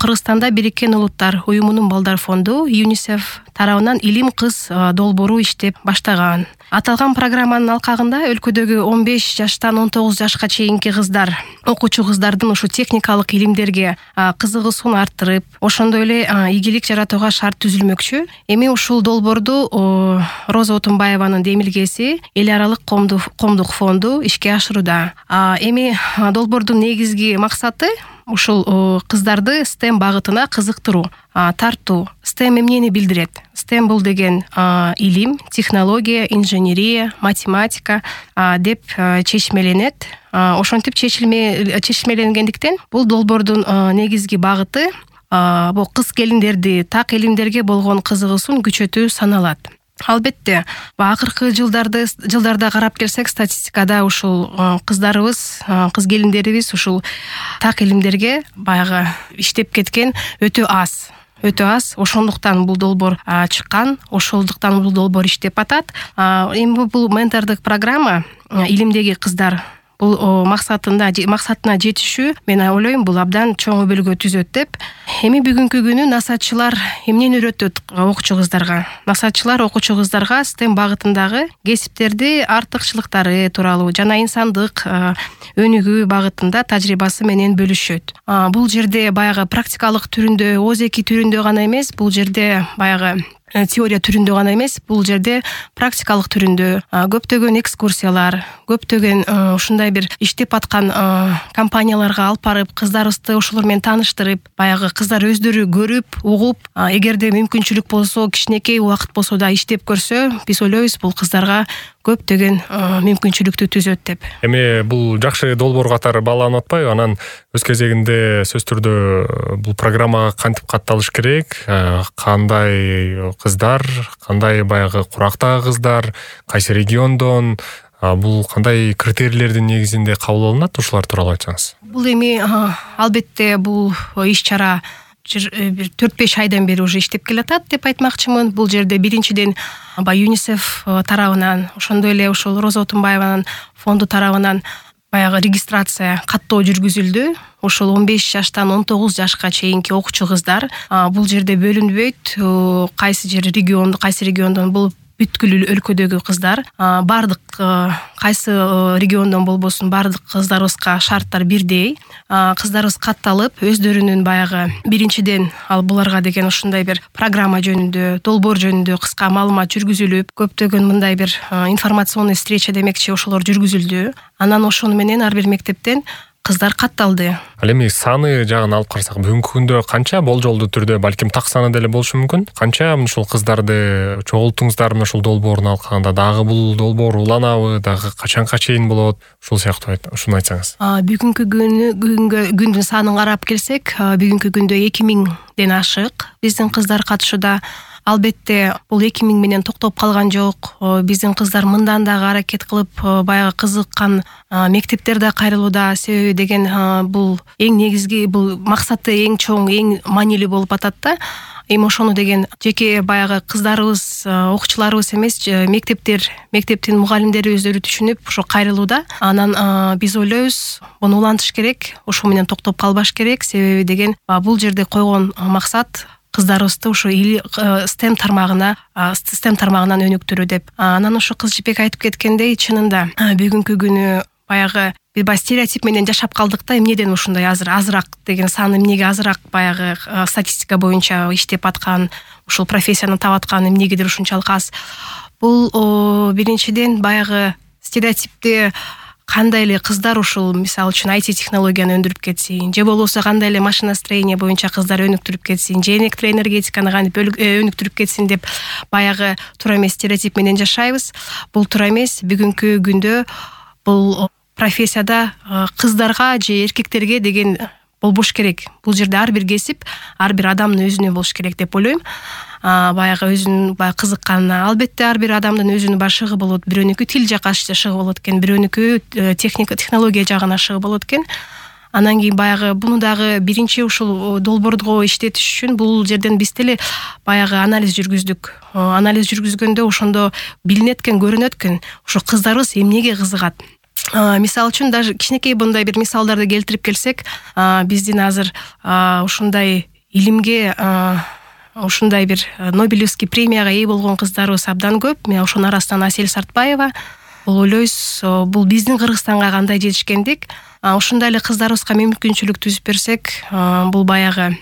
Кыргызстанда Бириккен Улуттар уюмунун балдар фонду ЮНИСЕФ тарабынан илим кыз долбоору иштеп баштаган. Аталган программанын алкагында өлкөдөгү 15 жаштан 19 жашка чейинки кыздар, окуучу кыздардын ушу техникалык илимдерге кызыгуусун арттырып, ошондой эле ийгилик жаратууга шарт түзүлмөкчү. Эми ушул долбоорду Роза Отунбаеванын демилгеси эл аралык коомдук фонду ишке ашырууда. Эми долбоордун негизги максаты ушул кыздарды STEM багытына кызыктыруу, тартуу. STEM эмнени билдирет? STEM бул деген илим, технология, инженерия, математика деп чечмеленет. Ошентип чечмеленгендиктен бул долбоордун негизги багыты бул кыз келиндерди так илимдерге болгон кызыгуусун күчөтүү саналат. Албетте, акыркы жылдарда карап келсек, статистикада ушул кыздарыбыз, кыз келиндерибиз ушул так илимдерге баягы иштеп кеткен өтө аз. Ошондуктан бул долбоор чыккан, ошондуктан бул долбоор иштеп атат. Эми бул ментордук программа илимдеги кыздар бул максатына жетишүү, мен ойлойм, бул абдан чоң өбөлгө түзөт деп. Эми бүгүнкү күнү насаатчылар эмнени үйрөтөт окуучу кыздарга? Насаатчылар окуучу кыздарга STEM багытындагы кесиптерди артыкчылыктары тууралуу жана инсандык өнүгүү багытында тажрыйбасы менен бөлүшөт. Бул жерде баягы практикалык түрүндө, озеки түрүндө гана эмес, бул жерде баягы теория түрүндө гана эмес, бул жерде практикалык түрүндө көптөгөн экскурсиялар, көптөгөн ушундай бир иштеп аткан компанияларга алып барып, кыздарыбызды ошолор менен тааныштырып, баягы кыздар өздөрү көрүп, угуп, эгерде мүмкүнчүлүк болсо, кичинекей убакыт болсо да иштеп көрсө, биз ойлойбуз, бул кыздарга көптөгөн мүмкүнчүлүктү түзөт деп. Эми бул жакшы долбоор катары бааланып атпайбы? Анан өз кезегинде сөз түрдө бул программага кантип катталыш керек? Кандай кыздар, кандай баягы курактагы кыздар, кайсы региондон, бул кандай критерийлердин негизинде кабыл алынат? Ушулар тууралуу айтсаңыз. Бул эми албетте бул иш-чара 4-5 айдан бери уже иштеп келатат деп айтмакчымын. Бул жерде биринчиден ЮНИСЕФ тарабынан, ошондой эле ушул Роза Отунбаеванын фонду тарабынан баягы регистрация каттоо жүргүзүлдү. Ошол 15 жаштан 19 жашка чейинки окуучу кыздар бул жерде бөлүнбөйт. Кайсы региондон бул бүткүл өлкөдөгү кыздар, бардык кайсы региондон болбосун бардык кыздарыбызга шарттар бирдей. Кыздарыбыз катталып, өздөрүнүн баягы биринчиден буларга деген ушундай бир программа жөнүндө, долбоор жөнүндө кыска маалымат жүргүзүлүп, көптөгөн мындай бир информационный встреча демекчи ошолор жүргүзүлдү. Анан ошону менен ар бир мектептен кыздар катталды. Ал эми саны жагын алып карасак, бүгүнкү күндө канча болжолдуу түрдө, балким так саны деле болушу мүмкүн. Канча ушул кыздарды чогулттуңуздар ушул долбоорун алкагында? Дагы бул долбоор уланабы? Дагы качанга чейин болот? Ушул сыяктуу ушуну айтсаңыз. Бүгүнкү күндүн санын карап келсек, бүгүнкү күндө 2000ден ашык биздин кыздар катышууда. Албетте, бул 2000 менен токтоп калган жок. Биздин кыздар мындан дагы аракет кылып, баягы кызыккан мектептер да кайрылууда. Себеби деген бул эң негизги, бул максаты эң чоң, эң маанилүү болуп атат да. Эми ошону деген жеке баягы кыздарыбыз, окуучуларыбыз эмес, мектептин мугалимдери өздөрү түшүнүп, ошо кайрылууда. Анан биз ойлойбуз, буну улантыш керек, ошо менен токтоп калбаш керек. Себеби деген бул жерде койгон максат кыздарыбызды ушу STEM тармагынан өнүктүрүү деп. Анан ушу кыз Жипек айтып кеткендей, чынында бүгүнкү күнү баягы бир стереотип менен жашап калдык да, эмнеден ушундай азыраак деген сан, эмнеге азыраак баягы статистика боюнча иштеп аткан, ушул профессияны таап аткан эмнегедир ушунчалык аз. Бул биринчиден баягы стереотипти кандай эле кыздар ушул мисалы үчүн IT технологияны өндүрүп кетсин, же болбосо кандай эле машиностроение боюнча кыздар өнүктүрүп кетсин, же электроэнергетиканы кантип өнүктүрүп кетсин деп баягы туура эмес стереотип менен жашайбыз. Бул туура эмес. Бүгүнкү күндө бул профессияда кыздарга же эркектерге деген болбош керек. Бул жерде ар бир кесип, ар бир адамдын өзүнө болуш керек деп ойлойм. Баягы өзүнүн кызыкканына, албетте ар бир адамдын өзүнүн башыгы болот. Бирөөнүкү тил жакка шыгы болот экен, бирөөнүкү технология жагына шыгы болот экен. Анан кийин баягы буну дагы биринчи ушул долбоорго иштетиш үчүн бул жерден биз деле баягы анализ жүргүздүк. Анализ жүргүзгөндө ошондо билинет экен, көрүнөт экен, ошо кыздарыбыз эмнеге кызыгат. Мисалы үчүн даже кичинекей мындай бир мисалдарды келтирип келсек, биздин азыр ушундай илимге ушундай бир Нобелевский премияга ээ болгон кыздарыбыз абдан көп. Мен ошонун арасынан Асель Сартбаева. Ойлойбуз, бул биздин Кыргызстанга кандай жетишкендик. Ушундай эле кыздарыбызга мүмкүнчүлүк түзүп берсек, бул баягы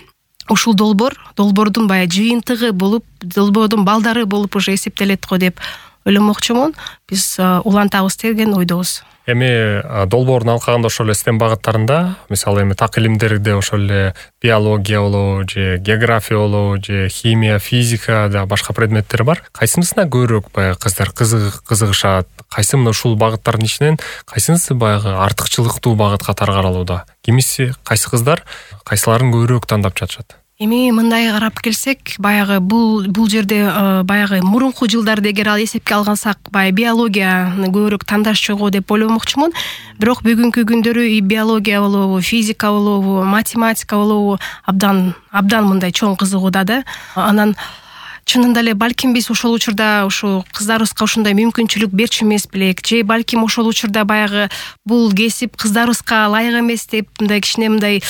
ушул долбоордун баягы жыйынтыгы болуп, долбоордун балдары болуп уже эсептелет го деп ойломокчумун. Биз улантабыз деген ойдобуз. Эми долбоордун алкагында ошол эле STEM багыттарында, мисалы эми так илимдерде ошол эле биология болобу, же география болобу, же химия, физика да башка предметтер бар. Кайсынысына көбүрөөк баягы кыздар кызыгышат? Кайсы мына ушул багыттардын ичинен кайсынысы баягы артыкчылыктуу багыт катары каралууда? Кимиси, кайсы кыздар кайсыларын көбүрөөк тандап жатышат? Эми мындай карап келсек, баягы бул жерде баягы мурунку жылдарды эгер эсепке алгансак, баягы биологияны көбүрөөк тандашчу деп ойломокчумун. Бирок бүгүнкү күндөрү биология болобу, физика болобу, математика болобу абдан мындай чоң кызыгууда да. Анан чынында эле балким биз ошол учурда ушу кыздарыбызга ушундай мүмкүнчүлүк берчү эмес белек, же балким ошол учурда баягы бул кесип кыздарыбызга ылайык эмес деп мындай кичине мындай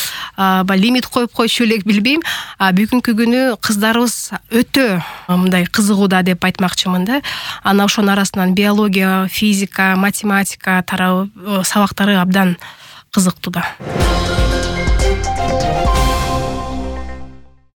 лимит коюп койчу элек, билбейм. Бүгүнкү күнү кыздарыбыз өтө мындай кызыгууда деп айтмакчымын да. Анан ошонун арасынан биология, физика, математика тарабы сабактары абдан кызыктуу да.